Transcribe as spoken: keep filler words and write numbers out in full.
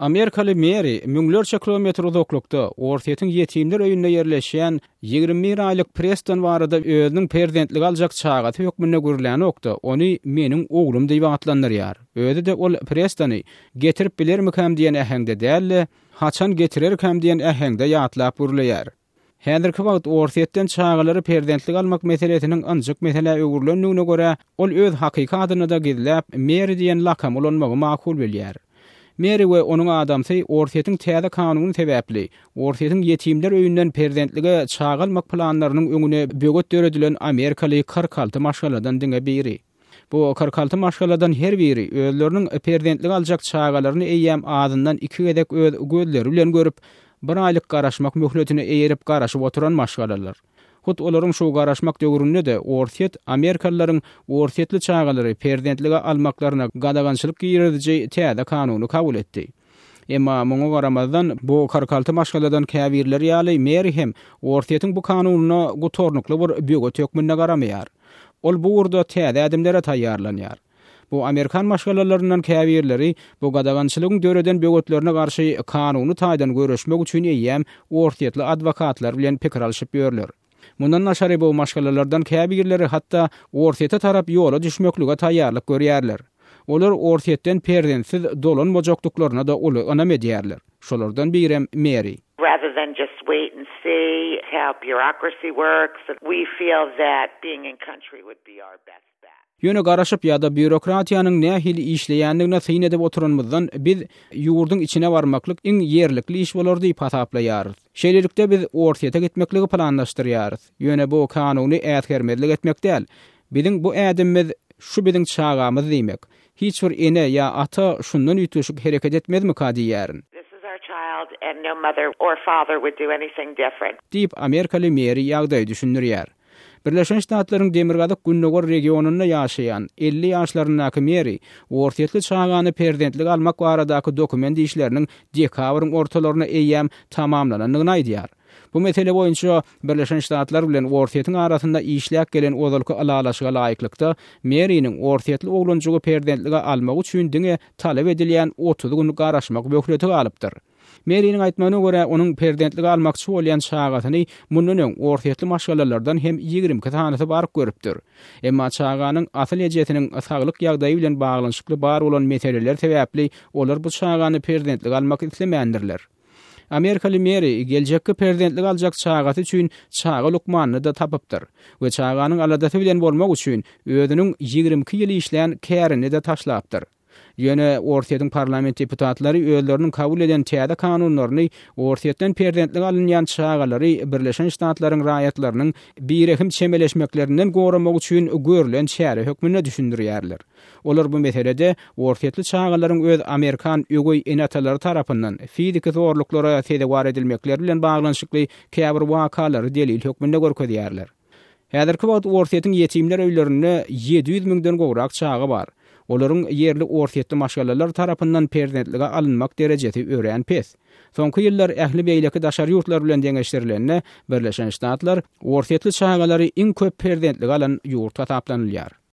Amerikaly Meri müňlerçe kilometr uzaklykda Orsýetiň ýetimler öýünde ýerleşýän ýigrimi bir aýlyk Preston barada özüniň perzentlige aljak çagasy hökmünde gürlänokda, ony meniň oglum diýip atlandyrýar. Özi-de ol Prestony getirip bilermikäm diýen äheňde däl-de, haçan getirerkäm diýen äheňde ýatlap gürleýär. Häzirki wagt Orsýetden çagalary perzentlige almak meselesiniň ynjyk meselä öwrülendigine görä, ol öz hakyky adyny-da gizläp, Meri diýen lakamy ulanmagy makul bilýär. Meri we onuň adamsy Orsýetiň täze kanuny sebäpli Orsýetiň ýetimler öýünden perzentlige çaga almak planlarynyň öňüne böwet döredilen amerikaly kyrk alty maşgaladan diňe biri. Bu kyrk alty maşgaladan her biri özleriniň perzentlige aljak çagalaryny eýýäm azyndan iki gezek öz gözleri bilen görüp, bir aýlyk garaşmak möhletine eýerip garaşyp oturan maşgalalar. Hut olaryň şu garaşmak döwründe-de Orsýet amerikalylaryň orsýetli çagalary perzentlige almaklaryna gadagançylyk giriziji täze kanuny kabul etdi. Emma muňa garamazdan bu kyrk alty maşgaladan käbirleri ýaly Meri hem Orsýetiň bu kanunyna gutarnykly bir böwet hökmünde garamaýar. Ol bu ugurda täze ädimlere taýýarlanýar. Bu amerikan maşgalalaryndan käbirleri bu gadagançylygyň döreden böwetlerine garşy kanuny taýdan göreşmek üçin eýýäm orsýetli adwokatlar bilen pikir alşyp ýörler. Mundan daşary bu maşgalalardan käbirleri hatda Orsýete tarap ýola düşmeklige taýýarlyk görýärler. Olar Orsýetden perzentsiz dolanmajakdyklaryna-da uly ynam edýärler. Şolardan birem Meri. Rather than just wait and see how bureaucracy works, we feel that being in country would be our best bet. Ýöne garaşyp ýa-da býurokratiýanyň nähili işleýändigine syn edip oturanymyzdan biz ýurduň içine barmaklyk iň ýerlikli iş bolar diýip hasaplaýarys. Şeýlelikde biz Orsýete gitmekligi planlaşdyrýarys. Ýöne bu kanuny äsgermezlik etmek däl. Biziň bu ädimimiz şu biziň çagamyz diýmek. Hiç bir ene ýa ata şundan üýtgeşik hereket etmezmika diýýärin. This is our child and no mother or father would do anything different. Diýip Amerikaly Meri ýagdaýy düşündirýär. Birleşen Ştatlaryň Demirgazyk Gündogar regionynda ýaşaýan elli ýaşlaryndaky Meri Orsýetli çagany perzentlige almak baradaky dokument işleriniň dekabryň ortalaryna eýýäm tamamlanandygyny aýdýar. Bu mesele boýunça Birleşen Ştatlar bilen Orsýetiň arasynda işläp gelen ozalky ylalaşyga laýyklykda Meriniň Orsýetli oglanjygy perzentlige almak üçin diňe talap edilýän otuz gün garaşmak möhleti galypdyr. Meriniň aýtmagyna görä, onuň perzentlige almakçy bolýan çagasyny mundan öň Orsýetli maşgalalardan hem ýigrimi iki sanysy baryp görüpdir. Emma çaganyň asyl ejesiniň saglyk ýagdaýy bilen baglanyşykly bar bolan meseleler sebäpli olar bu çagany perzentlige almak islemändirler. Amerikaly Meri geljekki perzentlige aljak çagasy üçin çaga lukmanyny da tapypdyr we çaganyň aladasy bilen bolmak üçin özüniň ýigrimi iki ýyl işlän kärini de taşlapdyr. Ýöne Orsýetiň parlament deputatlary özleriniň kabul eden täze kanunlaryny Orsýetden perzentlige alynýan çagalary Birleşen Ştatlaryň raýatlarynyň birehim çemeleşmeklerinden goramak üçin görülen çäre hökmünde düşündirýärler. Olar bu meselede Orsýetli çagalaryň öz Amerikan öweý ene-atalary tarapyndan fiziki zorluklara sezewar edilmekleri bilen baglanyşykly käbir wakalary delil hökmünde görkezýärler. Häzirki wagt Orsýetiň ýetimler öýlerinde ýedi ýüz müňden gowrak çaga bar. Olaryň ýerli Orsýetli maşgalalar tarapyndan perzentlige alynmak derejesi örän pes. Soňky ýyllar ähli beýleki daşary ýurtlar bilen deňeşdirilende Birleşen Ştatlar Orsýetli çagalary iň köp perzentlige alan ýurt hasaplanylýar.